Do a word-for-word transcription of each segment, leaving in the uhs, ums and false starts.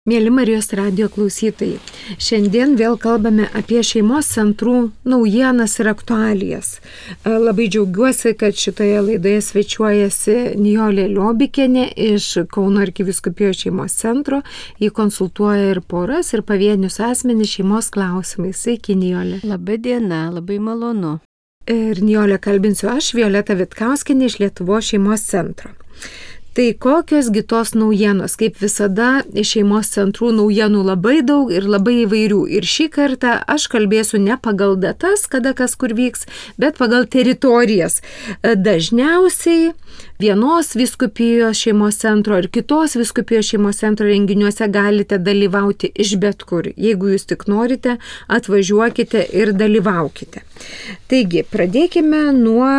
Mėly Marijos radijo klausytojai, šiandien vėl kalbame apie šeimos centrų naujienas ir aktualijas. Labai džiaugiuosi, kad šitoje laidoje svečiuojasi Nijolė Liobikienė iš Kauno arkivyskupijos šeimos centro. Ji konsultuoja ir poras, ir pavienius asmenys šeimos klausimais. Sveiki, Nijolė. Labai diena, labai malonu. Ir Nijolė kalbinsiu aš, Violeta Vitkauskienė iš Lietuvos šeimos centro. Tai kokios gi tos naujienos? Kaip visada, iš šeimos centrų naujienų labai daug ir labai įvairių. Ir šį kartą aš kalbėsiu ne pagal datas, kada kas kur vyks, bet pagal teritorijas. Dažniausiai vienos vyskupijos šeimos centro ir kitos vyskupijos šeimos centro renginiuose galite dalyvauti iš bet kur. Jeigu jūs tik norite, atvažiuokite ir dalyvaukite. Taigi, pradėkime nuo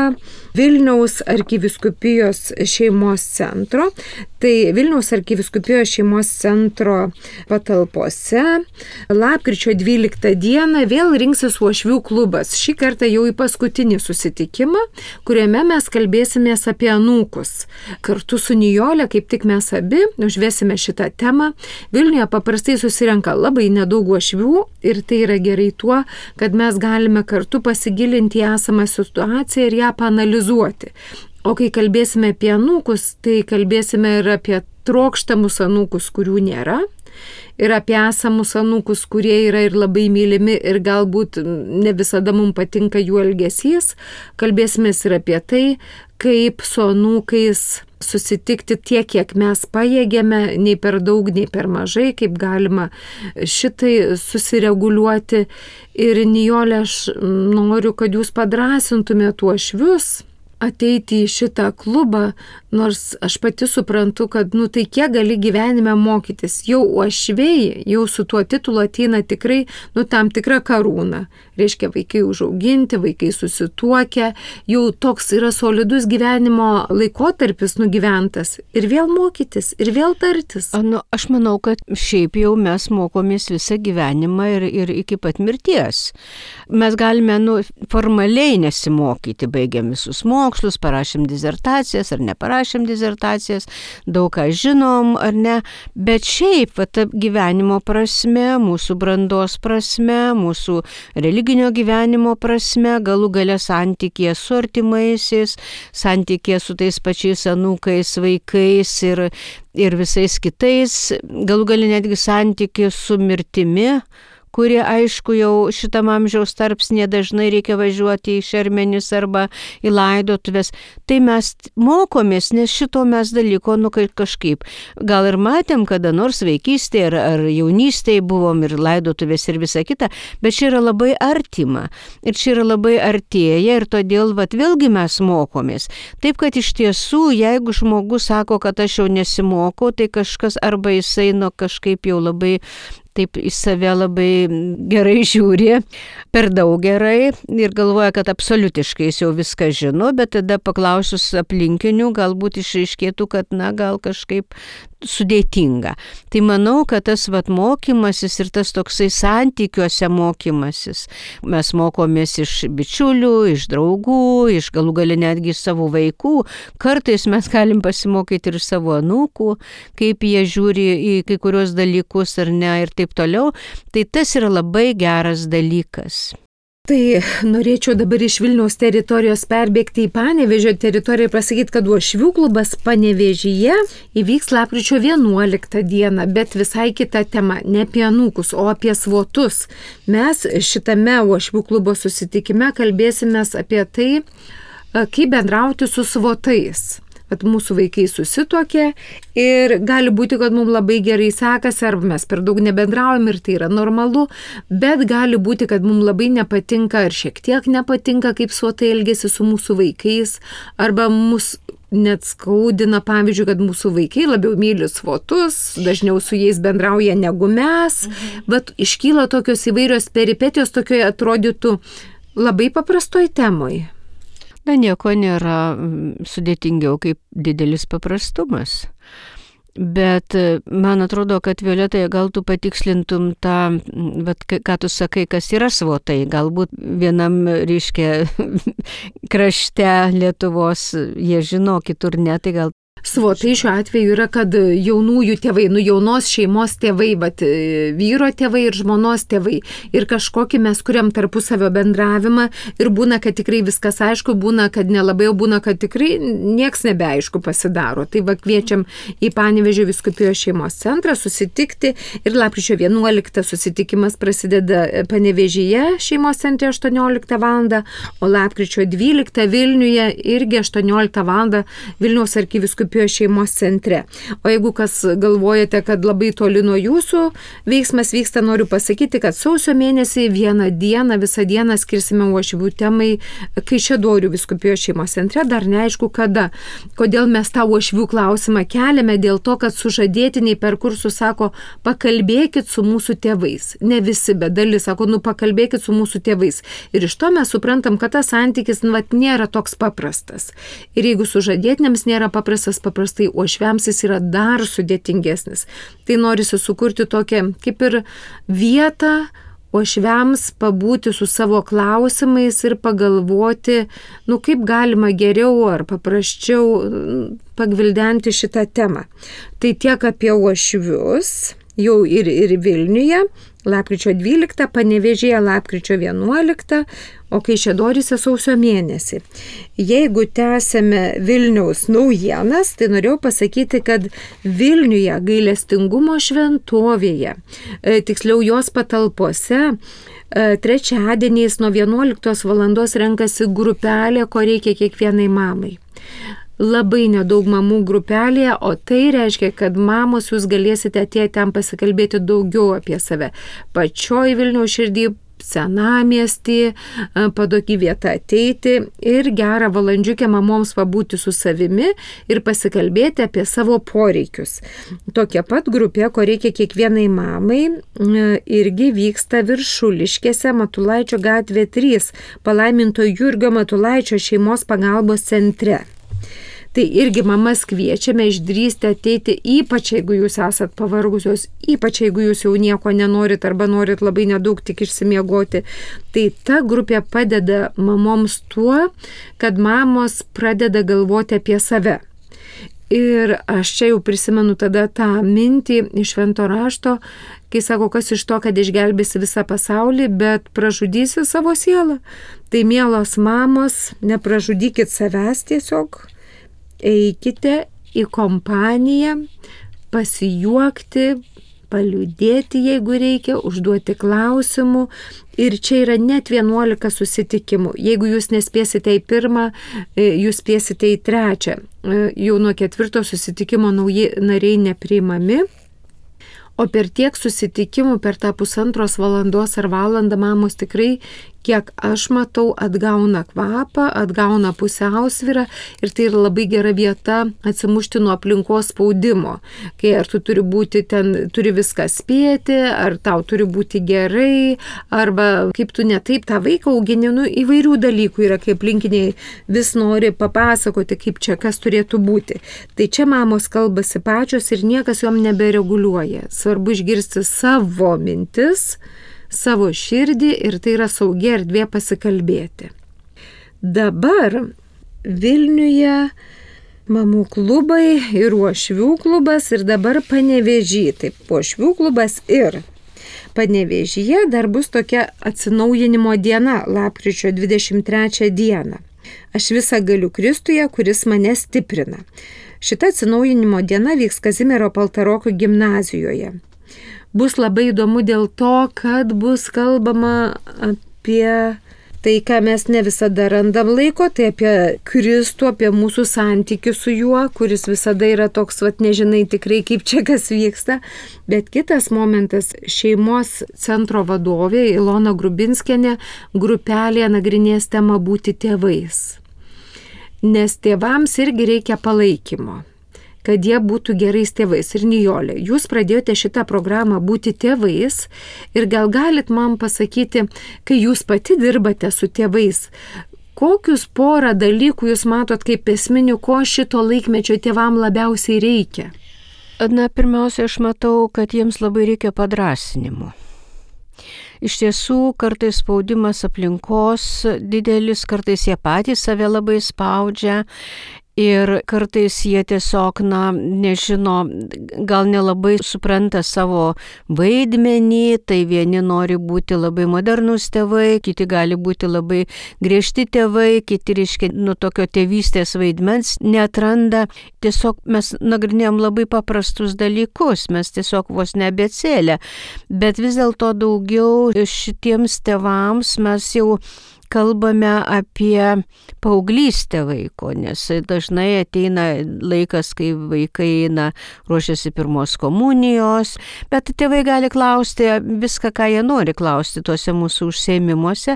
Vilniaus arkivyskupijos šeimos centro. Tai Vilniaus arkivyskupijos šeimos centro patalpose lapkričio dvyliktą dieną vėl rinksis uošvių klubas. Šį kartą jau į paskutinį susitikimą, kuriame mes kalbėsimės apie anūkus. Kartu su Nijolė, kaip tik mes abi, užvesime šitą temą. Vilniuje paprastai susirenka labai nedaug uošvių ir tai yra gerai tuo, kad mes galime kartu pasigilinti į esamą situaciją ir ją paanalizuoti. O kai kalbėsime apie anūkus, tai kalbėsime ir apie trokštamus anūkus, kurių nėra, ir apie esamus anūkus, kurie yra ir labai mylimi ir galbūt ne visada mums patinka jų elgesys. Kalbėsime ir apie tai, kaip su anūkais susitikti tiek, kiek mes pajėgėme, nei per daug, nei per mažai, kaip galima šitai susireguliuoti. Ir Nijolė, aš noriu, kad jūs padrąsintumėte uošvius ateiti į šitą klubą, nors aš pati suprantu, kad nu tai kiek gali gyvenime mokytis. Jau uošviai, jau su tuo titulu ateina tikrai nu tam tikra karūna. Reiškia, vaikai užauginti, vaikai susituokę, jau toks yra solidus gyvenimo laikotarpis nugyventas. Ir vėl mokytis, ir vėl tartis. Nu, aš manau, kad šiaip jau mes mokomės visą gyvenimą ir, ir iki pat mirties. Mes galime nu, formaliai nesimokyti, baigiam visus mokslus, parašėm disertacijas ar neparašėm disertacijas, daug ką žinom ar ne, bet šiaip va, ta gyvenimo prasme, mūsų brandos prasme, mūsų religinio gyvenimo prasme, galų gale santykėje su artimaisiais, santykėje su tais pačiais anūkais, vaikais ir, ir visais kitais, galų gale netgi santykėje su mirtimi, kurie, aišku, jau šitam amžiaus tarpsnėje dažnai reikia važiuoti į šermenis arba į laidotuvės. Tai mes mokomės, nes šito mes dalyko, nu kažkaip. Gal ir matėm, kada nors vaikystėje ar, ar jaunystėje buvom ir laidotuvės ir visa kita, bet čia yra labai artima. Ir čia yra labai artėja ir todėl, vat, vėlgi mes mokomės. Taip, kad iš tiesų, jeigu žmogus sako, kad aš jau nesimokau, tai kažkas arba jisai nu kažkaip jau labai taip į save labai gerai žiūri, per daug gerai ir galvoja, kad absoliutiškai jis jau viską žino, bet tada paklausus aplinkinių galbūt išaiškėtų, kad na gal kažkaip sudėtinga. Tai manau, kad tas vat mokymasis ir tas toksai santykiuose mokymasis. Mes mokomės iš bičiulių, iš draugų, iš galų gale netgi iš savo vaikų. Kartais mes galim pasimokyti ir iš savo anūkų, kaip jie žiūri į kai kurios dalykus ar ne ir taip toliau. Tai tas yra labai geras dalykas. Tai norėčiau dabar iš Vilniaus teritorijos perbėgti į Panevėžio teritoriją ir pasakyti, kad uošvių klubas Panevėžyje įvyks lapkričio vienuoliktą dieną, bet visai kita tema, ne apie anūkus, o apie svotus. Mes šitame uošvių klubo susitikime kalbėsimės apie tai, kaip bendrauti su svotais. Kad mūsų vaikai susituokė ir gali būti, kad mums labai gerai sekasi, arba mes per daug nebendraujam ir tai yra normalu, bet gali būti, kad mums labai nepatinka ar šiek tiek nepatinka, kaip svotai elgesi su mūsų vaikais, arba mus net skaudina, pavyzdžiui, kad mūsų vaikai labiau myli svotus, dažniau su jais bendrauja negu mes, mhm. bet iškyla tokios įvairios peripetijos, tokioje atrodytų labai paprastoj temoj. Na, nieko nėra sudėtingiau kaip didelis paprastumas. Bet man atrodo, kad Violeta, gal tu patikslintum tą, vat, ką tu sakai, kas yra svotai. Galbūt vienam, reiškia, krašte Lietuvos jie žino, kitur ne, tai gal Svotai šiuo atveju yra, kad jaunųjų tėvai, nu jaunos šeimos tėvai, bet vyro tėvai ir žmonos tėvai. Ir kažkokį mes kuriam tarpusavio bendravimą ir būna, kad tikrai viskas aišku, būna, kad nelabai, būna, kad tikrai nieks nebeaišku pasidaro. Tai va kviečiam į Panevėžio vyskupijos šeimos centrą susitikti ir lapkričio vienuoliktą susitikimas prasideda Panevėžyje šeimos centre aštuonioliktą valandą, o lapkričio dvyliktą Vilniuje irgi aštuonioliktą valandą Vilniaus arkivyskupijos šeimos centre. O jeigu kas galvojate, kad labai toli nuo jūsų veiksmas vyksta, noriu pasakyti, kad sausio mėnesį vieną dieną, visą dieną skirsime uošvių temai Kaišiadorių vyskupijos šeimos centre, dar neaišku kada. Kodėl mes tą uošvių klausimą keliame? Dėl to, kad sužadėtiniai per kursus sako, pakalbėkit su mūsų tėvais. Ne visi, bet dalis sako, nu pakalbėkit su mūsų tėvais. Ir iš to mes suprantam, kad tas santykis nu, vat, nėra toks paprastas. Ir jeigu sužadėtiniams nėra paprastas, paprastai uošviams jis yra dar sudėtingesnis. Tai norisi sukurti tokią kaip ir vietą uošviams pabūti su savo klausimais ir pagalvoti, nu kaip galima geriau ar paprasčiau pagvildenti šitą temą. Tai tiek apie uošvius, jau ir, ir Vilniuje, lapkričio dvyliktą, Panevėžyje lapkričio vienuoliktą, o Kaišiadoryse sausio mėnesį. Jeigu tęsėme Vilniaus naujienas, tai norėjau pasakyti, kad Vilniuje gailestingumo šventovėje, tiksliau jos patalpose, trečiadieniais nuo vienuoliktos valandos renkasi grupelė, ko reikia kiekvienai mamai. Labai nedaug mamų grupelėje, o tai reiškia, kad mamos jūs galėsite atėję ten pasikalbėti daugiau apie save. Pačioj Vilniaus širdį, senamiestį, patogi vieta ateiti ir gerą valandžiukę mamoms pabūti su savimi ir pasikalbėti apie savo poreikius. Tokia pat grupė, ko reikia kiekvienai mamai, irgi vyksta Viršuliškėse, Matulaičio gatvė trys, palaiminto Jurgio Matulaičio šeimos pagalbos centre. Tai irgi mamas kviečiame išdrįsti ateiti, ypač jeigu jūs esat pavargusios, ypač jeigu jūs jau nieko nenorit arba norit labai nedaug tik išsimiegoti. Tai ta grupė padeda mamoms tuo, kad mamos pradeda galvoti apie save. Ir aš čia jau prisimenu tada tą mintį iš Švento rašto, kai sako, kas iš to, kad išgelbėsi visą pasaulį, bet pražudysi savo sielą. Tai mielos mamos, nepražudykit savęs tiesiog. Eikite į kompaniją, pasijuokti, paliūdėti, jeigu reikia, užduoti klausimų. Ir čia yra net vienuolika susitikimų. Jeigu jūs nespėsite į pirmą, jūs spėsite į trečią. Jau nuo ketvirto susitikimo nauji nariai nepriimami. O per tiek susitikimų, per tą pusantros valandos ar valandą mamos tikrai, kiek aš matau, atgauna kvapą, atgauna pusiausvyrą ir tai yra labai gera vieta atsimušti nuo aplinkos spaudimo. Kai ar tu turi būti ten, turi viską spėti, ar tau turi būti gerai, arba kaip tu ne taip tą vaiką augini, nu, įvairių dalykų yra, kai aplinkiniai vis nori papasakoti, kaip čia kas turėtų būti. Tai čia mamos kalbasi pačios ir niekas jom nebereguliuoja. Svarbu išgirsti savo mintis, savo širdį ir tai yra saugi erdvė pasikalbėti. Dabar Vilniuje mamų klubai ir uošvių klubas ir dabar Panevėžy. Taip, uošvių klubas ir Panevėžyje dar bus tokia atsinaujinimo diena, lapkričio dvidešimt trečią dieną. Aš visą galiu Kristuje, kuris mane stiprina. Šita atsinaujinimo diena vyks Kazimiero Paltaroko gimnazijoje. Bus labai įdomu dėl to, kad bus kalbama apie tai, ką mes ne visada randam laiko, tai apie Kristų, apie mūsų santykių su juo, kuris visada yra toks, vat, nežinai tikrai, kaip čia kas vyksta. Bet kitas momentas, šeimos centro vadovė Ilona Grubinskienė grupelėje nagrinės temą būti tėvais. Nes tėvams irgi reikia palaikymo, kad jie būtų gerais tėvais. Ir Nijolė, jūs pradėjote šitą programą būti tėvais ir gal galit man pasakyti, kai jūs pati dirbate su tėvais, kokius porą dalykų jūs matot kaip esminių, ko šito laikmečio tėvam labiausiai reikia? Na, pirmiausia, aš matau, kad jiems labai reikia padrąsinimo. Iš tiesų, kartais spaudimas aplinkos didelis, kartais jie patys save labai spaudžia. Ir kartais jie tiesiog, na, nežino, gal nelabai supranta savo vaidmenį, tai vieni nori būti labai modernus tėvai, kiti gali būti labai griežti tėvai, kiti, reiškia, nu tokio tėvystės vaidmens neatranda. Tiesiog mes nagrinėjom labai paprastus dalykus, mes tiesiog vos ne abėcėlę, bet vis dėlto daugiau šitiems tėvams mes jau kalbame apie paauglystę vaiko, nes dažnai ateina laikas, kai vaikai eina, ruošiasi pirmos komunijos, bet tėvai gali klausti viską, ką jie nori klausti tuose mūsų užsiėmimuose.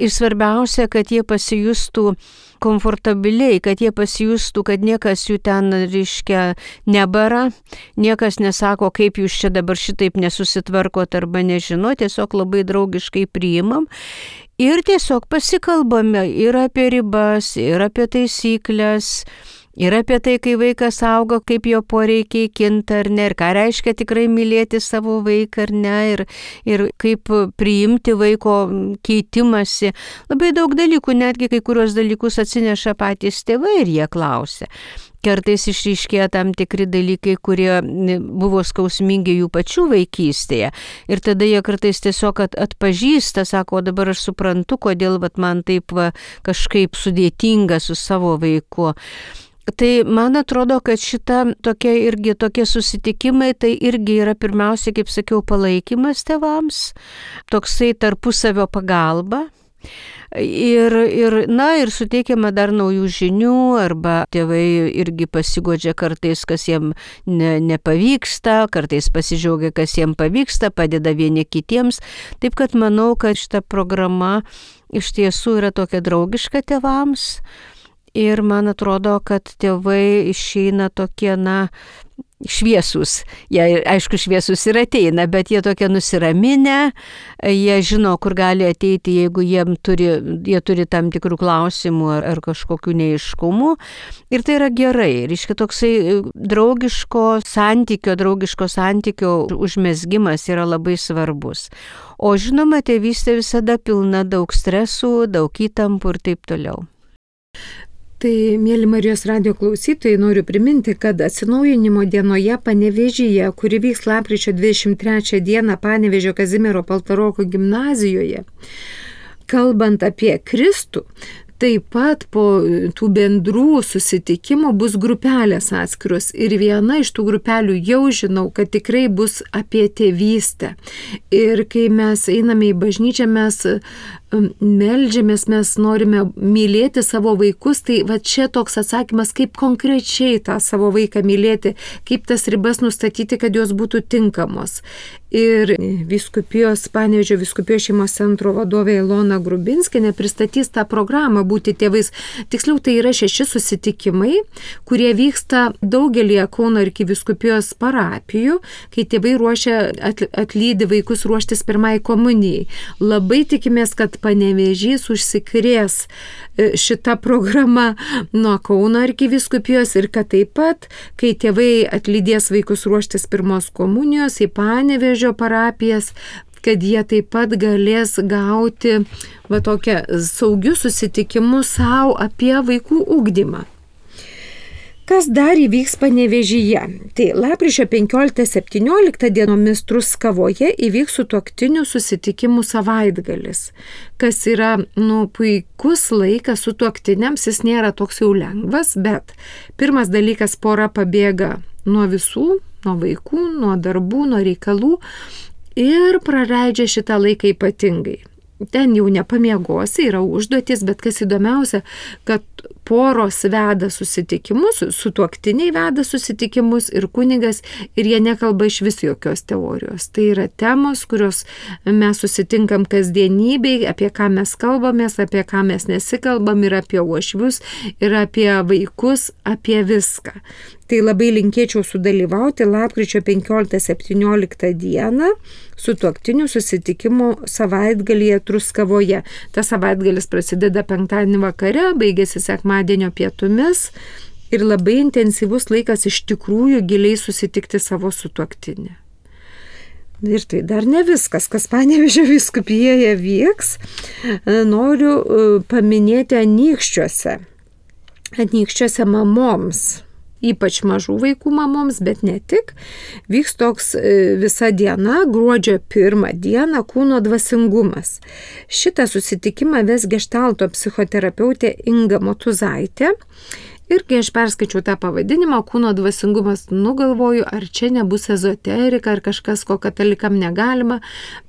Ir svarbiausia, kad jie pasijustų komfortabiliai, kad jie pasijustų, kad niekas jų ten, reiškia, nebara, niekas nesako, kaip jūs čia dabar šitaip nesusitvarkot arba nežino, tiesiog labai draugiškai priimam. Ir tiesiog pasikalbame ir apie ribas, ir apie taisyklės, ir apie tai, kai vaikas auga, kaip jo poreikiai kinta ar ne, ir ką reiškia tikrai mylėti savo vaiką ar ne, ir, ir kaip priimti vaiko keitimąsi. Labai daug dalykų, netgi kai kurios dalykus atsineša patys tėvai ir jie klausia. Kartais išryškėja tam tikri dalykai, kurie buvo skausmingi jų pačių vaikystėje. Ir tada jie kartais tiesiog atpažįsta, sako, o dabar aš suprantu, kodėl vat, man taip va, kažkaip sudėtinga su savo vaiku. Tai man atrodo, kad šita tokia irgi tokie susitikimai, tai irgi yra pirmiausia, kaip sakiau, palaikymas tėvams, toksai tarpusavio pagalba. Ir, ir, na, ir suteikiama dar naujų žinių, arba tėvai irgi pasigodžia kartais, kas jiem ne, nepavyksta, kartais pasidžiaugia, kas jiem pavyksta, padeda vieni kitiems. Taip kad manau, kad šita programa iš tiesų yra tokia draugiška tėvams. Ir man atrodo, kad tėvai išeina tokie, na, šviesus. Jie, aišku, šviesus ir ateina, bet jie tokie nusiraminę, jie žino, kur gali ateiti, jeigu jiem turi, jie turi tam tikrų klausimų ar, ar kažkokių neaiškumų. Ir tai yra gerai. Reiškia, toksai draugiško santykio, draugiško santykio užmezgimas yra labai svarbus. O žinoma, tėvystė visada pilna daug stresų, daug įtampų ir taip toliau. Tai, mėly Marijos radijo klausytojai, noriu priminti, kad atsinaujinimo dienoje Panevėžyje, kuri vyks lapkričio dvidešimt trečią dieną Panevėžio Kazimiero Paltaroko gimnazijoje, kalbant apie Kristų, taip pat po tų bendrų susitikimų bus grupelės atskiros ir viena iš tų grupelių jau žinau, kad tikrai bus apie tėvystę. Ir kai mes einame į bažnyčią, mes meldžiamės, mes norime mylėti savo vaikus, tai va čia toks atsakymas, kaip konkrečiai tą savo vaiką mylėti, kaip tas ribas nustatyti, kad jos būtų tinkamos. Ir vyskupijos, Panevėžio vyskupijos šeimos centro vadovė Ilona Grubinskienė pristatys tą programą Būti tėvais. Tiksliau, tai yra šeši susitikimai, kurie vyksta daugelį Kauno arkivyskupijos parapijų, kai tėvai ruošia, atlydi vaikus ruoštis pirmai komunijai. Labai tikimės, kad Panevėžys užsikrės šitą programą nuo Kauno arkivyskupijos ir kad taip pat, kai tėvai atlydės vaikus ruoštis pirmos komunijos į Panevėžio parapijas, kad jie taip pat galės gauti va tokią saugius susitikimus savo apie vaikų ugdymą. Kas dar įvyks Panevėžyje? Tai lapkričio penkioliktą septynioliktą dienomis Truskavoje įvyks sutuoktinių susitikimų savaitgalis, kas yra nu, puikus laikas sutuoktiniams, jis nėra toks jau lengvas, bet pirmas dalykas, pora pabėga nuo visų, nuo vaikų, nuo darbų, nuo reikalų ir praleidžia šitą laiką ypatingai. Ten jau nepamiegosi, yra užduotis, bet kas įdomiausia, kad poros veda susitikimus, sutuoktiniai veda susitikimus ir kunigas, ir jie nekalba iš vis jokios teorijos. Tai yra temos, kurios mes susitinkam kasdienybėj, apie ką mes kalbamės, apie ką mes nesikalbam, ir apie uošvius, ir apie vaikus, apie viską. Tai labai linkėčiau sudalyvauti lapkričio penkioliktą septynioliktą dieną sutuoktinių susitikimų savaitgalyje Truskavoje. Tas savaitgalis prasideda penktadienį vakare, baigėsi sekmadienio pietumis ir labai intensyvus laikas iš tikrųjų giliai susitikti savo sutuoktinį. Ir tai dar ne viskas, kas Panevėžio vyskupijoje vyks. Noriu paminėti Anykščiuose. anykščiuose mamoms, ypač mažų vaikų mamoms, bet ne tik, vyks toks visa diena, gruodžio pirmą dieną, kūno dvasingumas. Šitą susitikimą ves geštalto psichoterapeutė Inga Motuzaitė. Ir kai aš perskaičiau tą pavadinimą, kūno dvasingumas, nugalvoju, ar čia nebus ezoterika, ar kažkas, ko katalikam negalima.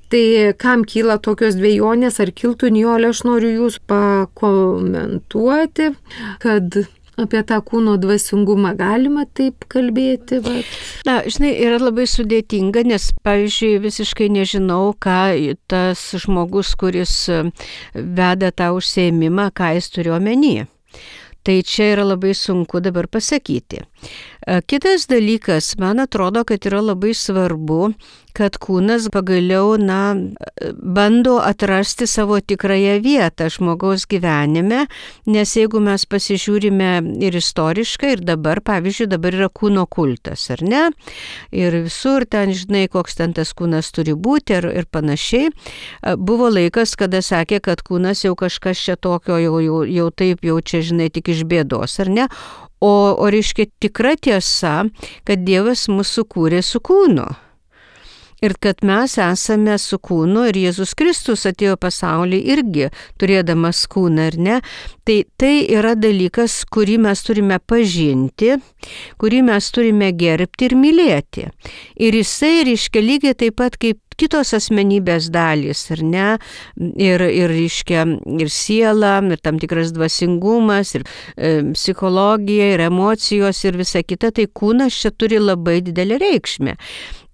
Tai kam kyla tokios dvejonės, ar kiltų, Nijolė, aš noriu jūs pakomentuoti, kad apie tą kūno dvasingumą galima taip kalbėti. Bet... Na, žinai, yra labai sudėtinga, nes, pavyzdžiui, visiškai nežinau, ką tas žmogus, kuris veda tą užsiėmimą, ką jis turi omeny. Tai čia yra labai sunku dabar pasakyti. Kitas dalykas, man atrodo, kad yra labai svarbu, kad kūnas pagaliau, na, bando atrasti savo tikrąją vietą žmogaus gyvenime, nes jeigu mes pasižiūrime ir istoriškai, ir dabar, pavyzdžiui, dabar yra kūno kultas, ar ne? Ir visur ten, žinai, koks ten tas kūnas turi būti ir, ir panašiai. Buvo laikas, kada sakė, kad kūnas jau kažkas čia tokio, jau, jau, jau taip, jau čia, žinai, tik iš bėdos, ar ne? O, o reiškia tikra tiesa, kad Dievas mūsų kūrė su kūnu. Ir kad mes esame su kūnu ir Jėzus Kristus atėjo pasaulį irgi turėdamas kūną, ar ne? Tai tai yra dalykas, kurį mes turime pažinti, kurį mes turime gerbti ir mylėti. Ir jisai reiškia lygiai taip pat kaip kitos asmenybės dalys, ar ne? Ir, ir, reiškia, ir siela, ir tam tikras dvasingumas, ir e, psichologija, ir emocijos, ir visa kita, tai kūnas čia turi labai didelę reikšmę.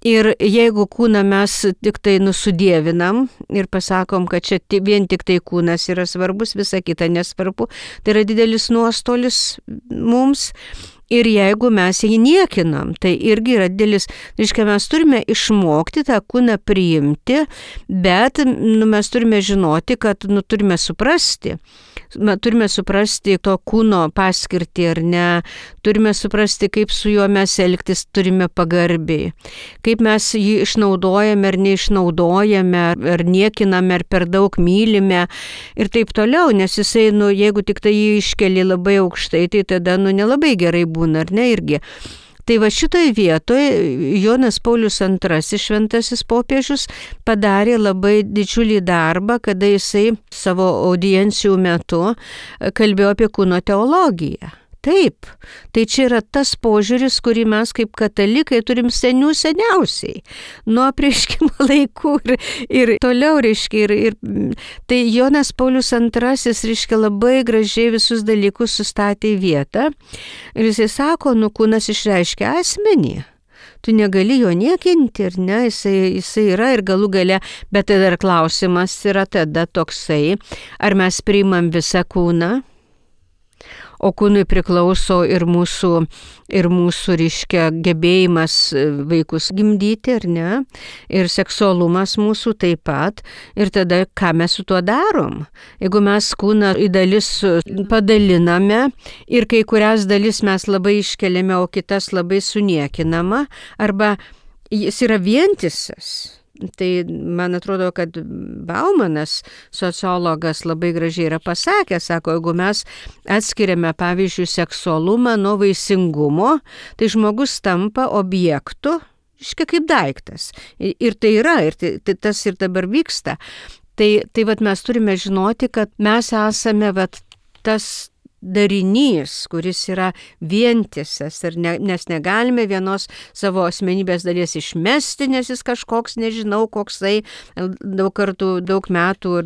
Ir jeigu kūną mes tik tai nusudievinam ir pasakom, kad čia vien tik tai kūnas yra svarbus, visa kita nesvarbu, tai yra didelis nuostolis mums. Ir jeigu mes jį niekinam, tai irgi yra didelis, reiškia, mes turime išmokti tą kūną priimti, bet nu, mes turime žinoti, kad nu, turime suprasti. Turime suprasti to kūno paskirtį ar ne, turime suprasti, kaip su juo mes elgtis turime pagarbiai, kaip mes jį išnaudojame ar neišnaudojame, ar niekiname, ar per daug mylime ir taip toliau, nes jisai, nu, jeigu tik tai jį iškeli labai aukštai, tai tada nu, nelabai gerai būna, ar ne, irgi. Tai va šitoje vietoje Jonas Paulius antrasis šventasis popiežius padarė labai didžiulį darbą, kada jisai savo audiencijų metu kalbėjo apie kūno teologiją. Taip, tai čia yra tas požiūris, kurį mes kaip katalikai turim senių seniausiai, nuo apreiškimo laikų ir, ir toliau, reiškia, ir, ir tai Jonas Paulius antrasis, reiškia, labai gražiai visus dalykus sustatė į vietą ir jisai sako, nu kūnas išreiškia asmenį. Tu negali jo niekinti, ir ne, jisai, jisai yra ir galų gale, bet tada ir klausimas yra tada toksai, ar mes priimam visą kūną? O kūnui priklauso ir mūsų, ir mūsų, reiškia, gebėjimas vaikus gimdyti, ar ne? Ir seksualumas mūsų taip pat. Ir tada, ką mes su tuo darom? Jeigu mes kūną į dalis padaliname ir kai kurias dalis mes labai iškeliame, o kitas labai suniekinama, arba jis yra vientisas. Tai man atrodo, kad Baumanas, sociologas, labai gražiai yra pasakęs, sako, jeigu mes atskiriame, pavyzdžiui, seksualumą nuo vaisingumo, tai žmogus tampa objektu, iškia kaip daiktas. Ir tai yra, ir tai, tai tas ir dabar vyksta. Tai, tai vat mes turime žinoti, kad mes esame vat tas darinys, kuris yra vientisas, ne, nes negalime vienos savo asmenybės dalies išmesti, nes jis kažkoks, nežinau, koksai daug kartų, daug metų,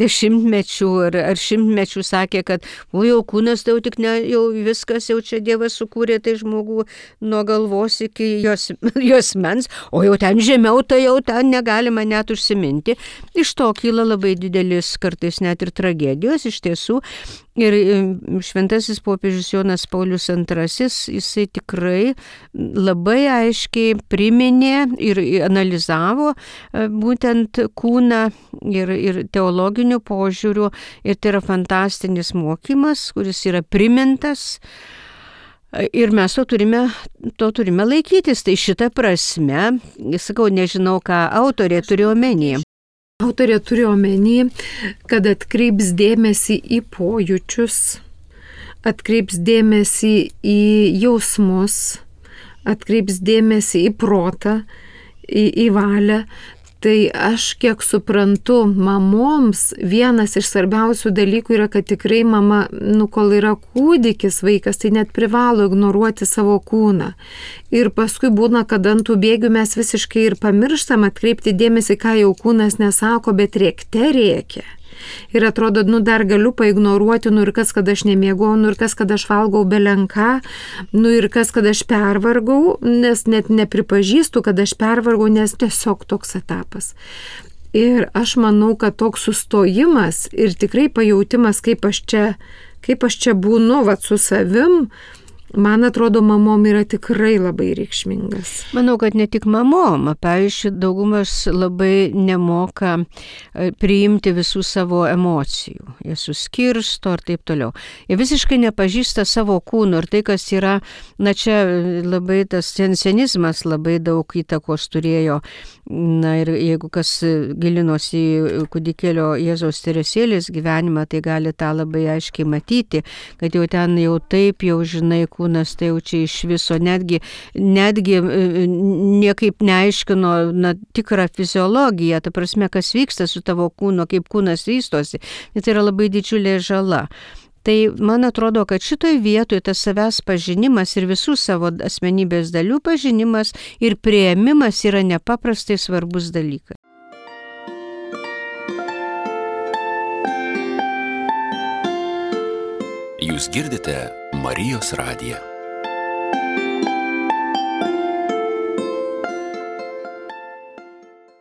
dešimtmečių ar, ar šimtmečių sakė, kad o jau kūnas tai jau tik ne, jau viskas, jau čia Dievas sukūrė tai žmogų nuo galvos iki jos, jos mens, o jau ten žemiau, tai jau ten negalima net užsiminti. Iš to kyla labai didelis kartais net ir tragedijos iš tiesų. Ir šventasis popiežius Jonas Paulius antrasis, jisai tikrai labai aiškiai priminė ir analizavo būtent kūną ir, ir teologinių požiūrių. Ir tai yra fantastinis mokymas, kuris yra primintas. Ir mes to turime, to turime laikytis. Tai šitą prasme, sakau, nežinau, ką autorė turi omeny. Autorė turi omeny, kad atkreips dėmesį į pojūčius, atkreips dėmesį į jausmus, atkreips dėmesį į protą, į, į valią. Tai aš kiek suprantu, mamoms vienas iš svarbiausių dalykų yra, kad tikrai mama, nu, kol yra kūdikis vaikas, tai net privalo ignoruoti savo kūną. Ir paskui būna, kad ant tų bėgių mes visiškai ir pamirštam atkreipti dėmesį, ką jau kūnas nesako, bet rėkte rėkia. Ir atrodo, nu dar galiu paignoruoti, nu ir kas, kad aš nemiegau, nu ir kas, kad aš valgau belenką, nu ir kas, kad aš pervargau, nes net nepripažįstu, kad aš pervargau, nes tiesiog toks etapas. Ir aš manau, kad toks sustojimas ir tikrai pajautimas, kaip aš čia, kaip aš čia būnu, vat su savim, man atrodo, mamom yra tikrai labai reikšmingas. Manau, kad ne tik mamom, pavyzdžiui, daugumas labai nemoka priimti visų savo emocijų. Jie suskirsto ir taip toliau. Jie visiškai nepažįsta savo kūno ir tai, kas yra, na čia labai tas sensenizmas labai daug įtakos turėjo. Na ir jeigu kas gilinosi į kūdikėlio Jėzaus Teresėlės gyvenimą, tai gali tą labai aiškiai matyti, kad jau ten jau taip jau žinai, kūnas tai jau čia iš viso, netgi, netgi niekaip neaiškino na, tikrą fiziologiją, ta prasme, kas vyksta su tavo kūno, kaip kūnas vystosi, tai yra labai didžiulė žala. Tai man atrodo, kad šitoj vietoje tas savęs pažinimas ir visų savo asmenybės dalių pažinimas ir priėmimas yra nepaprastai svarbus dalykas. Jūs girdite Marijos radiją.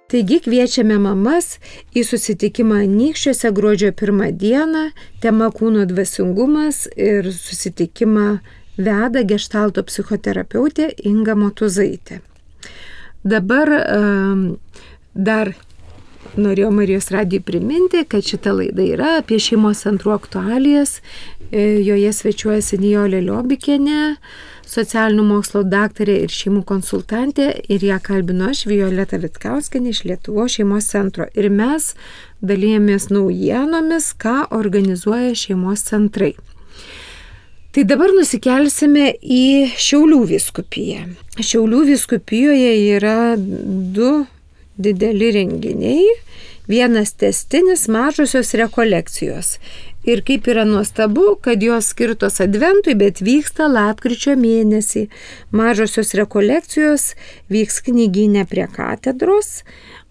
Taigi kviečiame mamas į susitikimą Anykščiuose gruodžio pirmą dieną, tema kūno dvasingumas ir susitikimą veda geštalto psichoterapeutė Inga Motuzaitė. Dabar um, dar norėjau Marijos radijui priminti, kad šita laida yra apie šeimos centrų aktualijas. Joje svečiuojasi Nijolė Liobikienė, socialinių mokslo daktarė ir šeimų konsultantė, ir ją kalbinu aš, Violeta Vitkauskienė iš Lietuvos šeimos centro. Ir mes dalijamės naujienomis, ką organizuoja šeimos centrai. Tai dabar nusikelsime į Šiaulių vyskupiją. Šiaulių vyskupijoje yra du dideli renginiai, vienas tęstinis, mažosios rekolekcijos. Ir kaip yra nuostabu, kad jos skirtos adventui, bet vyksta lapkričio mėnesį. Mažosios rekolekcijos vyks knygyne prie katedros,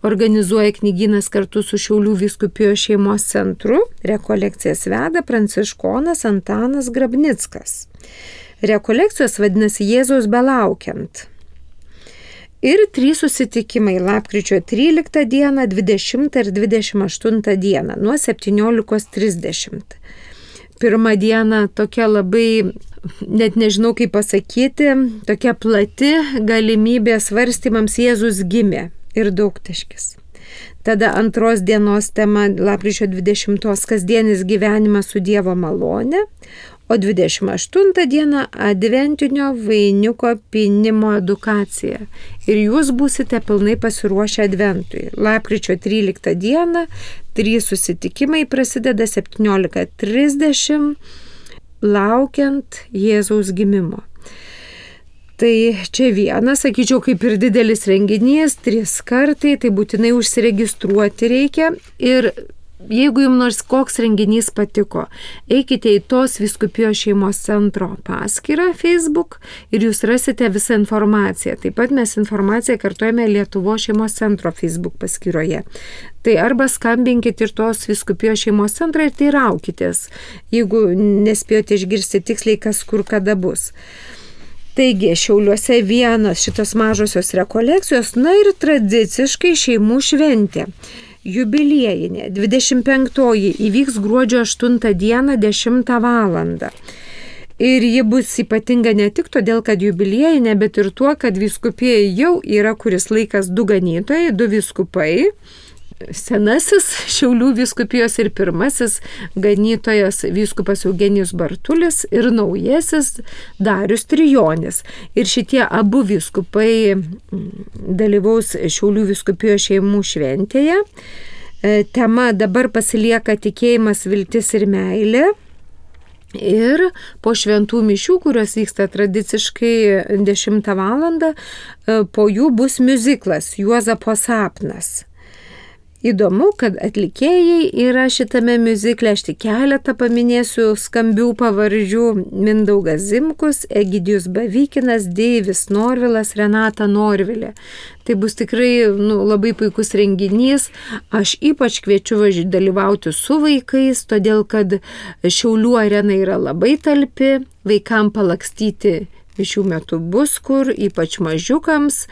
organizuoja knygynas kartu su Šiaulių vyskupijos šeimos centru, rekolekcijas veda pranciškonas Antanas Grabnickas. Rekolekcijos vadinasi Jėzaus belaukiant. Ir trys susitikimai lapkričio tryliktą dieną, dvidešimtą ir dvidešimt aštuntą dieną nuo septyniolikos trisdešimt. Pirmą dieną tokia labai, net nežinau kaip pasakyti, tokia plati galimybė svarstymams Jėzus gimė ir daugtaškis. Tada antros dienos tema lapkričio dvidešimtos kasdienis gyvenimas su Dievo malone, o dvidešimt aštuntą dieną adventinio vainiuko pynimo edukacija. Ir jūs būsite pilnai pasiruošę adventui. Lapkričio tryliktą dieną trys susitikimai prasideda septyniolika trisdešimt, laukiant Jėzaus gimimo. Tai čia vienas, sakyčiau, kaip ir didelis renginys, trys kartai, tai būtinai užsiregistruoti reikia. Ir jeigu jums nors koks renginys patiko, eikite į tos vyskupijos šeimos centro paskyrą Facebook ir jūs rasite visą informaciją. Taip pat mes informaciją kartuojame Lietuvos šeimos centro Facebook paskyroje. Tai arba skambinkit ir tos vyskupijos šeimos centrą ir teiraukitės, jeigu nespėjote išgirsti tiksliai, kas kur kada bus. Taigi, Šiauliuose vienas šitos mažosios rekolekcijos, na ir tradiciškai šeimų šventė. Jubiliejinė, dvidešimt penktoji įvyks gruodžio aštuntą dieną dešimtą valandą. Ir ji bus ypatinga ne tik todėl, kad jubiliejinė, bet ir tuo, kad vyskupijai jau yra kuris laikas du ganytojai, du vyskupai. Senasis Šiaulių vyskupijos ir pirmasis ganytojas vyskupas Eugenijus Bartulis ir naujasis Darius Trijonis. Ir šitie abu vyskupai dalyvaus Šiaulių vyskupijos šeimų šventėje. Tema dabar pasilieka tikėjimas, viltis ir meilė. Ir po šventų mišių, kurios vyksta tradiciškai dešimtą valandą, po jų bus miuziklas Juozapo sapnas. Įdomu, kad atlikėjai yra šitame miuzikle, aš tik keletą paminėsiu skambių pavardžių: Mindaugas Zimkus, Egidijus Bavykinas, Deivis Norvilas, Renata Norvilė. Tai bus tikrai nu, labai puikus renginys. Aš ypač kviečiu važiuoti dalyvauti su vaikais, todėl kad Šiaulių arena yra labai talpi, vaikam palakstyti mišių metu bus kur, ypač mažiukams,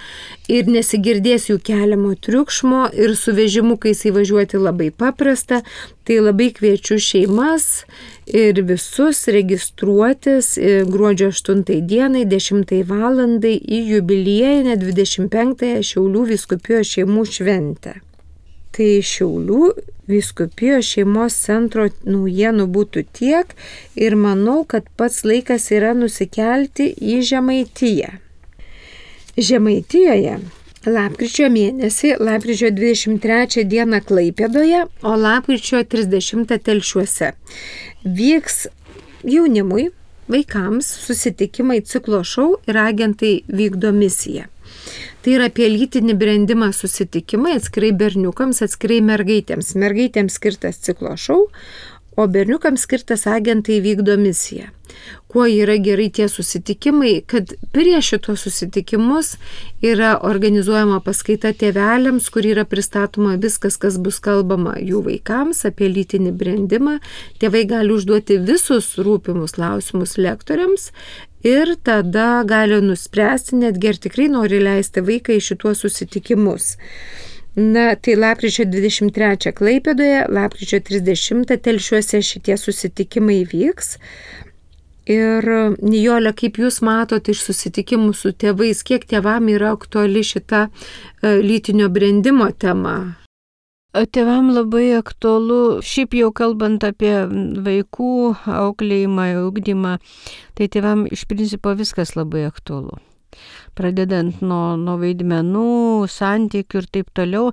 ir nesigirdės jų keliamo triukšmo, ir su vežimukais įvažiuoti labai paprasta. Tai labai kviečiu šeimas ir visus registruotis gruodžio aštuntai dienai, dešimtai valandai į jubiliejinę dvidešimt penktąją Šiaulių vyskupijos šeimų šventę. Tai Šiaulių vyskupijos šeimos centro naujienų būtų tiek ir manau, kad pats laikas yra nusikelti į Žemaitiją. Žemaitijoje lapkričio mėnesį, lapkričio dvidešimt trečią dieną Klaipėdoje, o lapkričio trisdešimtą Telšiuose vyks jaunimui, vaikams susitikimai ciklo šou ir agentai vykdo misiją. Tai yra apie lytinį brendimą susitikimai, atskirai berniukams, atskirai mergaitėms. Mergaitėms skirtas ciklo šou, o berniukams skirtas agentai vykdo misiją. Kuo yra gerai tie susitikimai, kad prieš šitos susitikimus yra organizuojama paskaita tėveliams, kur yra pristatoma viskas, kas bus kalbama jų vaikams apie lytinį brendimą. Tėvai gali užduoti visus rūpimus klausimus lektoriams ir tada gali nuspręsti, netgi ar tikrai nori leisti vaiką į šituos susitikimus. Na, tai lapkričio dvidešimt trečią Klaipėdoje, lapkričio trisdešimtą Telšiuose šitie susitikimai vyks. Ir Nijolė, kaip jūs matote iš susitikimų su tėvais, kiek tėvam yra aktuali šita lytinio brendimo tema? Tėvam labai aktualu, šiaip jau kalbant apie vaikų auklėjimą, ugdymą, tai tėvam iš principo viskas labai aktualu. Pradedant nuo, nuo vaidmenų, santykių ir taip toliau,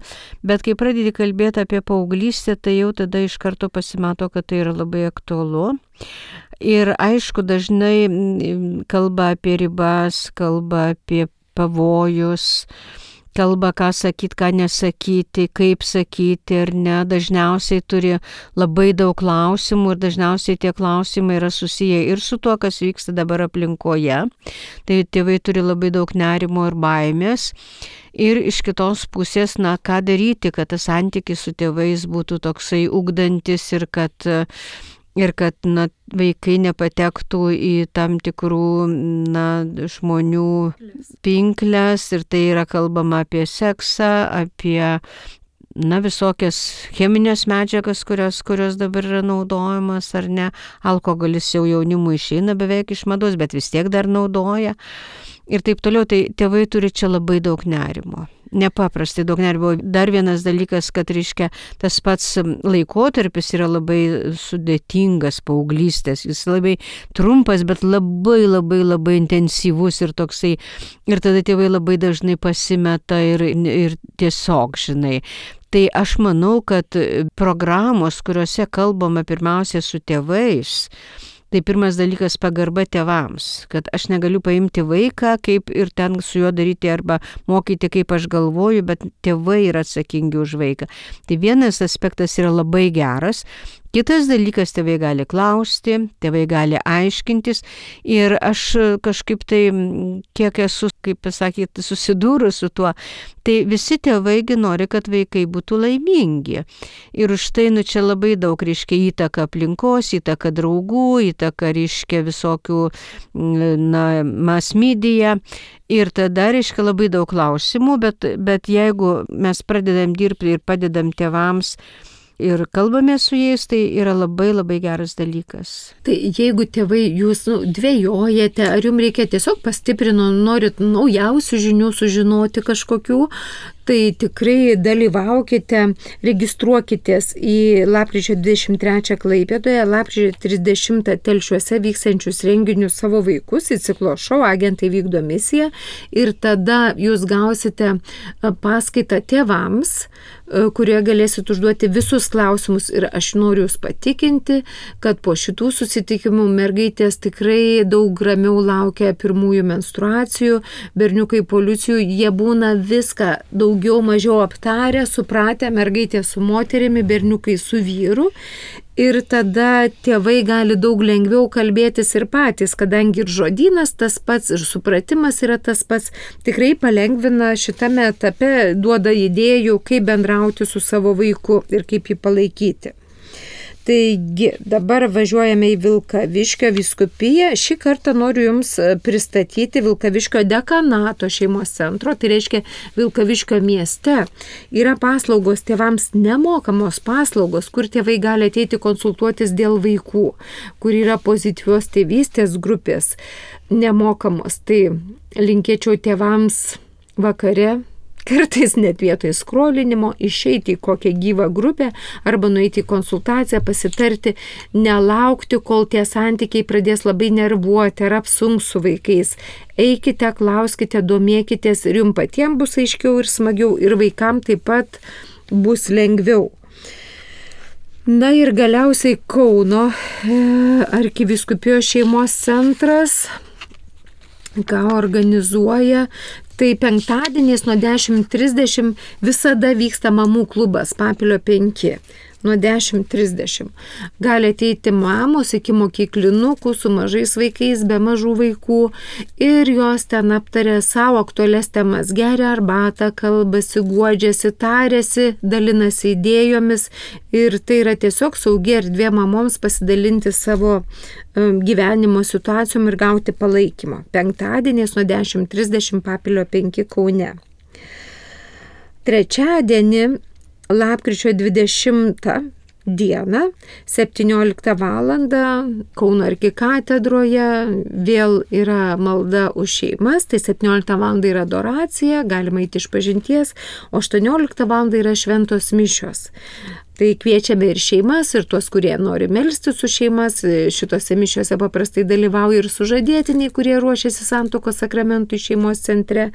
bet kai pradedi kalbėti apie paauglystę, tai jau tada iš karto pasimato, kad tai yra labai aktualu. Ir aišku, dažnai kalba apie ribas, kalba apie pavojus, kalba, ką sakyti, ką nesakyti, kaip sakyti ar ne, dažniausiai turi labai daug klausimų ir dažniausiai tie klausimai yra susiję ir su tuo, kas vyksta dabar aplinkoje. Tai tėvai turi labai daug nerimo ir baimės. Ir iš kitos pusės, na, ką daryti, kad tas santykis su tėvais būtų toksai ugdantis ir kad Ir kad na, vaikai nepatektų į tam tikrų na, žmonių pinkles, ir tai yra kalbama apie seksą, apie na, visokias cheminės medžiagas, kurios, kurios dabar yra naudojamas ar ne. Alkoholis jau jaunimui išeina beveik iš mados, bet vis tiek dar naudoja. Ir taip toliau, tai tėvai turi čia labai daug nerimo. Nepaprastai daug nerimo. Dar vienas dalykas, kad reiškia, tas pats laikotarpis yra labai sudėtingas paauglystės. Jis labai trumpas, bet labai labai labai intensyvus ir toksai. Ir tada tėvai labai dažnai pasimeta ir, ir tiesiog, žinai. Tai aš manau, kad programos, kuriuose kalbama pirmiausia su tėvais, tai pirmas dalykas pagarba tėvams, kad aš negaliu paimti vaiką kaip ir ten su juo daryti arba mokyti, kaip aš galvoju, bet tėvai yra atsakingi už vaiką. Tai vienas aspektas yra labai geras. Kitas dalykas, tėvai gali klausti, tėvai gali aiškintis ir aš kažkaip tai, kiek esu, kaip pasakyti, susidūrus su tuo, tai visi tėvaigi nori, kad vaikai būtų laimingi. Ir už tai, nu, čia labai daug reiškia įtaka aplinkos, įtaka draugų, įtaka reiškia visokių, na, mass media. Ir tada reiškia labai daug klausimų, bet, bet jeigu mes pradedam dirbti ir padedam tėvams, ir kalbame su jais, tai yra labai labai geras dalykas. Tai jeigu tėvai jūs nu, dvejojate, ar jums reikia tiesiog pastiprino, norit naujausių žinių sužinoti kažkokių, Tai tikrai dalyvaukite, registruokitės į lapkričio dvidešimt trečią Klaipėdoje, lapkričio trisdešimtą Telšiuose vyksiančius renginius Savo vaikus į ciklo šou Agentai vykdo misiją ir tada jūs gausite paskaitą tėvams, kurioje galėsit užduoti visus klausimus ir aš noriu jūs patikinti, kad po šitų susitikimų mergaitės tikrai daug ramiau laukia pirmųjų menstruacijų, berniukai policijų, jie būna viską daugiau mažiau aptarę, supratę, mergaitė su moterimi, berniukai su vyru. Ir tada tėvai gali daug lengviau kalbėtis ir patys, kadangi ir žodynas tas pats, ir supratimas yra tas pats, tikrai palengvina šitame etape, duoda idėjų, kaip bendrauti su savo vaiku ir kaip jį palaikyti. Taigi, dabar važiuojame į Vilkaviškio vyskupiją. Šį kartą noriu Jums pristatyti Vilkaviškio dekanato šeimos centro, tai reiškia Vilkaviškio mieste. Yra paslaugos tėvams, nemokamos paslaugos, kur tėvai gali ateiti konsultuotis dėl vaikų, kur yra pozityvios tėvystės grupės nemokamos. Tai linkėčiau tėvams vakare, kartais net vietoj skrolinimo, išeiti į kokią gyvą grupę arba nueiti į konsultaciją, pasitarti, nelaukti, kol tie santykiai pradės labai nervuoti ar apsunks su vaikais. Eikite, klauskite, domėkitės ir jums patiems bus aiškiau ir smagiau ir vaikams taip pat bus lengviau. Na ir galiausiai Kauno arkivyskupijos šeimos centras, ką organizuoja. Tai penktadieniais nuo dešimt trisdešimt visada vyksta mamų klubas Papilio penki. Nuo dešimt trisdešimt. Gali ateiti mamos iki mokyklinukų su mažais vaikais, be mažų vaikų ir jos ten aptarė savo aktualias temas, geria arbatą, kalbasi, guodžiasi, tarėsi, dalinasi idėjomis ir tai yra tiesiog saugi erdvė mamoms pasidalinti savo gyvenimo situacijom ir gauti palaikymą. Penktadieniais nuo dešimt trisdešimt Papilio penki Kaune. Trečiadienį lapkričio dvidešimtą dieną, septynioliktą valandą Kauno arkikatedroje vėl yra malda už šeimas, tai septynioliktą valandą yra adoracija, galima eiti išpažinties, o aštuonioliktą valandą yra šventos mišios. Tai kviečiame ir šeimas, ir tuos, kurie nori melstis su šeimas. Šitose mišiose paprastai dalyvauja ir sužadėtiniai, kurie ruošiasi santuokos sakramentui šeimos centre.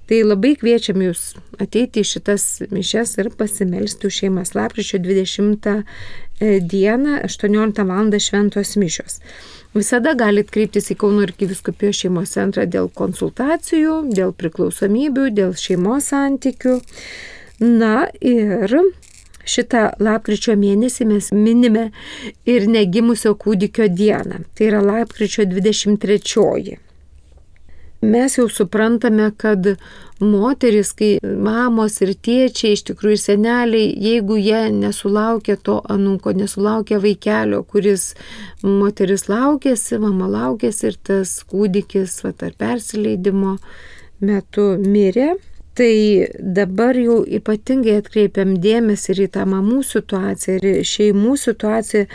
Tai labai kviečiam jūs ateiti į šitas mišias ir pasimelsti už šeimas. Lapkričio dvidešimtą dieną, aštuonioliktą valandą šventos mišios. Visada galit kreiptis į Kauno arkivyskupijos šeimos centrą dėl konsultacijų, dėl priklausomybių, dėl šeimos santykių. Na ir šitą lapkričio mėnesį mes minime ir negimusio kūdikio dieną. Tai yra lapkričio dvidešimt trečioji. Mes jau suprantame, kad moteris, kai mamos ir tėčiai, iš tikrųjų seneliai, jeigu jie nesulaukia to anūko, nesulaukia vaikelio, kuris moteris laukėsi, mama laukėsi ir tas kūdikis vat, ar persileidimo metu mirė, tai dabar jau ypatingai atkreipiam dėmesį ir į tą mamų situaciją, ir šeimų situaciją.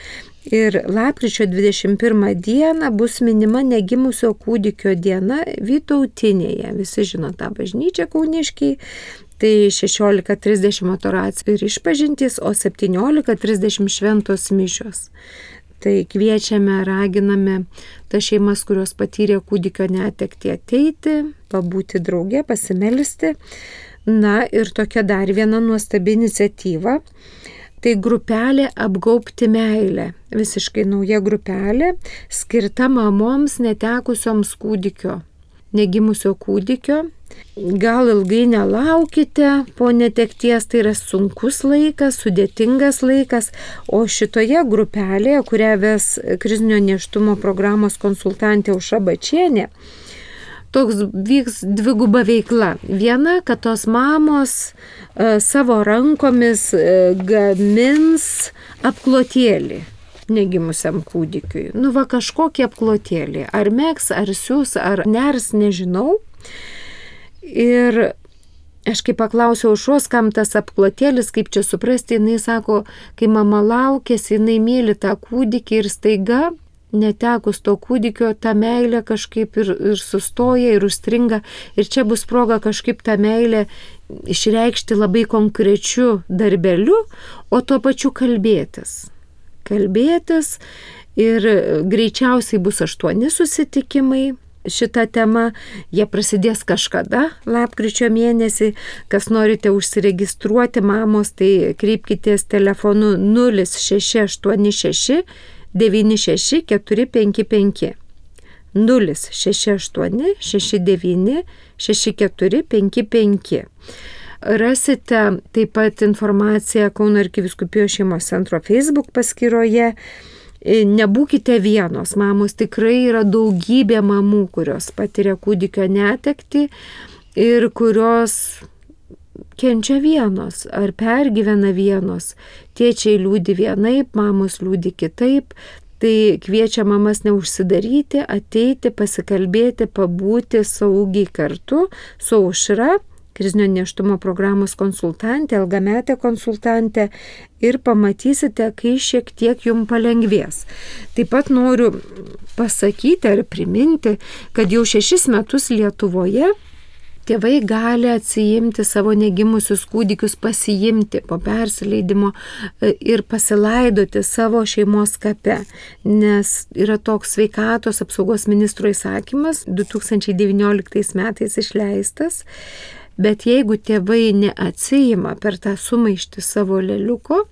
Ir lapkričio dvidešimt pirmą dieną bus minima negimusio kūdikio diena Vytautinėje. Visi žino tą bažnyčią kauniškiai. Tai šešiolika trisdešimt adoracija ir išpažintys, o septyniolika trisdešimt šventos mišios. Tai kviečiame, raginame tas šeimas, kurios patyrė kūdikio netektį, ateiti, pabūti drauge, pasimelsti. Na ir tokia dar viena nuostabi iniciatyva. Tai grupelė Apgaubti meilę. Visiškai nauja grupelė, skirta mamoms netekusioms kūdikio, negimusio kūdikio. Gal ilgai nelaukite po netekties, tai yra sunkus laikas, sudėtingas laikas, o šitoje grupelėje, kurią ves krizinio nėštumo programos konsultantė Aušra Bačienė, toks vyks dviguba veikla. Viena, kad tos mamos e, savo rankomis e, gamins apklotėlį negimusiam kūdikiui. Nu va kažkokį apklotėlį. Ar meks, ar siūs, ar ners, nežinau. Ir aš kai paklausiau Aušros, kam tas apklotėlis, kaip čia suprasti, jinai sako, kai mama laukėsi, jinai myli tą kūdikį ir staiga netekus to kūdikio, ta meilė kažkaip ir, ir sustoja, ir užstringa. Ir čia bus proga kažkaip tą meilę išreikšti labai konkrečiu darbeliu, o tuo pačiu kalbėtis. Kalbėtis ir greičiausiai bus aštuoni susitikimai. Šitą temą, jie prasidės kažkada, lapkričio mėnesį. Kas norite užsiregistruoti, mamos, tai kreipkitės telefonu nulis šeši aštuoni šeši devyni šeši keturi penki penki. nulis šeši aštuoni šeši devyni šeši keturi penki penki. Rasite taip pat informaciją Kauno arkivyskupijos šeimos centro Facebook paskyroje. Nebūkite vienos, mamos, tikrai yra daugybė mamų, kurios patiria kūdikio netektį ir kurios kenčia vienos ar pergyvena vienos. Tėčiai liūdi vienaip, mamos liūdi kitaip. Tai kviečia mamas neužsidaryti, ateiti, pasikalbėti, pabūti saugiai kartu su Aušra, krizinio nėštumo programos konsultantė, ilgametė konsultantė, ir pamatysite, kai šiek tiek jums palengvės. Taip pat noriu pasakyti ar priminti, kad jau šešis metus Lietuvoje tėvai gali atsiimti savo negimusius kūdikius, pasiimti po persileidimo ir pasilaidoti savo šeimos kape, nes yra toks sveikatos apsaugos ministro įsakymas du tūkstančiai devynioliktais metais išleistas. Bet jeigu tėvai neatsiima per tą sumaištį savo leliuko,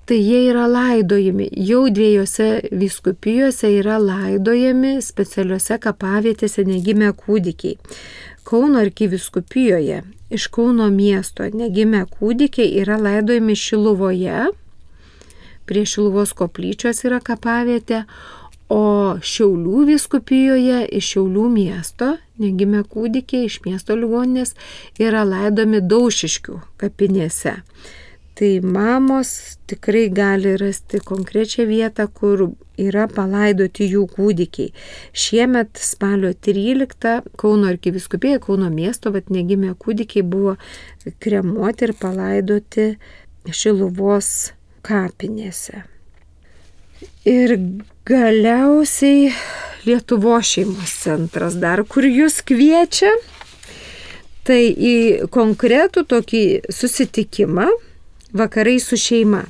tai jie yra laidojami. Jau dviejose vyskupijose yra laidojami specialiuose kapavietėse negimę kūdikiai. Kauno arkivyskupijoje iš Kauno miesto negimę kūdikiai yra laidojami Šiluvoje, prie Šiluvos koplyčios yra kapavietė, o Šiaulių vyskupijoje iš Šiaulių miesto negimę kūdikiai iš miesto ligoninės yra laidomi Daušiškių kapinėse. Tai mamos tikrai gali rasti konkrečią vietą, kur yra palaidoti jų kūdikiai. Šiemet spalio tryliktą Kauno arkivyskupijoje, Kauno miesto, vat negimę kūdikiai buvo kremuoti ir palaidoti Šiluvos kapinėse. Ir galiausiai Lietuvos šeimos centras dar kur jūs kviečia, tai į konkretų tokį susitikimą vakarai su šeima.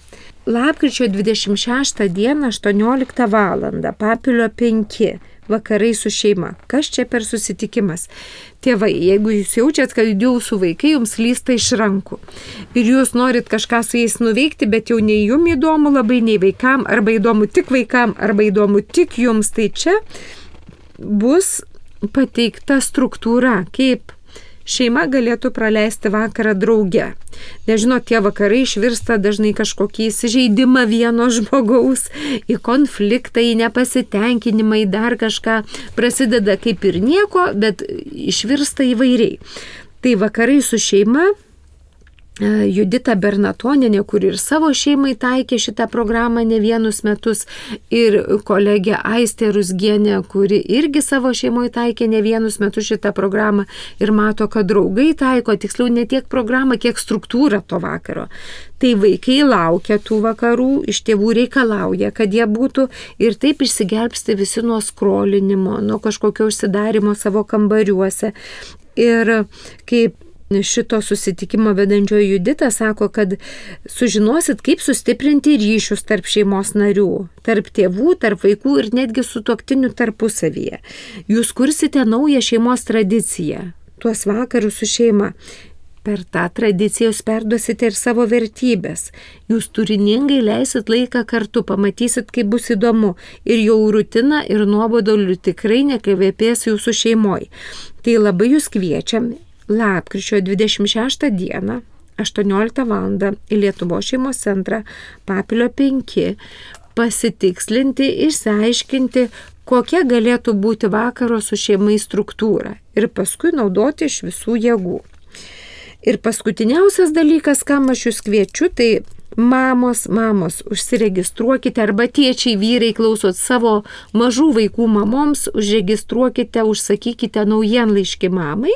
Lapkričio dvidešimt šeštą dieną aštuonioliktą valandą, Papilio penki, vakarai su šeima. Kas čia per susitikimas? Tėvai, jeigu jūs jaučiat, kad jūsų vaikai jums lysta iš rankų ir jūs norit kažką su jais nuveikti, bet jau nei jums įdomu labai, nei vaikam, arba įdomu tik vaikam, arba įdomu tik jums, tai čia bus pateikta struktūra, kaip šeima galėtų praleisti vakarą drauge. Nežinau, tie vakarai išvirsta dažnai kažkokį įsižeidimą vieno žmogaus, į konfliktą, į nepasitenkinimą, į dar kažką. Prasideda kaip ir nieko, bet išvirsta įvairiai. Tai vakarai su šeima, Judita Bernatonienė, kuri ir savo šeimai taikė šitą programą ne vienus metus, ir kolegė Aistė Rusgienė, kuri irgi savo šeimoje taikė ne vienus metus šitą programą ir mato, kad draugai taiko, tiksliau ne tiek programą, kiek struktūrą to vakaro. Tai vaikai laukia tų vakarų, iš tėvų reikalauja, kad jie būtų, ir taip išsigelbsti visi nuo skrolinimo, nuo kažkokio užsidarimo savo kambariuose. Ir kaip šito susitikimo vedančioji Judita sako, kad sužinosit, kaip sustiprinti ryšius tarp šeimos narių, tarp tėvų, tarp vaikų ir netgi sutuoktinių tarpusavyje. Jūs kursite naują šeimos tradiciją, tuos vakarus su šeima. Per tą tradiciją jūs perduosite ir savo vertybės. Jūs turiningai leisit laiką kartu, pamatysit, kaip bus įdomu. Ir jau rutina ir nuobodoliu tikrai nekvepės jūsų šeimoje. Tai labai jūs kviečiam lapkričio dvidešimt šeštą dieną, aštuonioliktą valandą į Lietuvos šeimos centrą Papilio penki pasitikslinti, išsiaiškinti, kokia galėtų būti vakaro su šeimai struktūra ir paskui naudoti iš visų jėgų. Ir paskutiniausias dalykas, kam aš jūs kviečiu, tai mamos, mamos, užsiregistruokite, arba tėčiai, vyrai klausot savo mažų vaikų mamoms, užregistruokite, užsakykite naujienlaiškį mamai.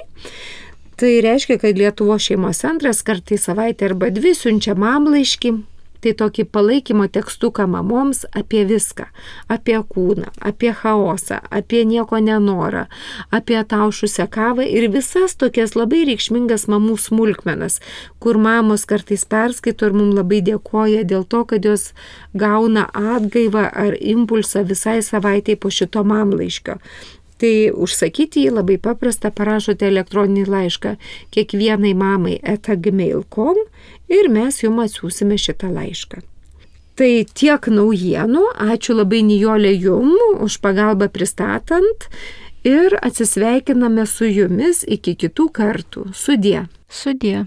Tai reiškia, kad Lietuvos šeimos centras kartą į savaitę arba dvi siunčia mamlaiškį Tai tokį palaikymo tekstuką mamoms apie viską. Apie kūną, apie chaosą, apie nieko nenorą, apie taušusią kavą ir visas tokias labai reikšmingas mamų smulkmenas, kur mamos kartais perskaito ir mums labai dėkoja dėl to, kad jos gauna atgaivą ar impulsą visai savaitai po šito mamlaiškio. Tai užsakyti jį labai paprasta, parašote elektroninį laišką kiekvienai mamai eta gmail taškas com ir mes jums atsiųsime šitą laišką. Tai tiek naujienų, ačiū labai Nijolė jum už pagalbą pristatant ir atsisveikiname su jumis iki kitų kartų. Sudie. Sudie.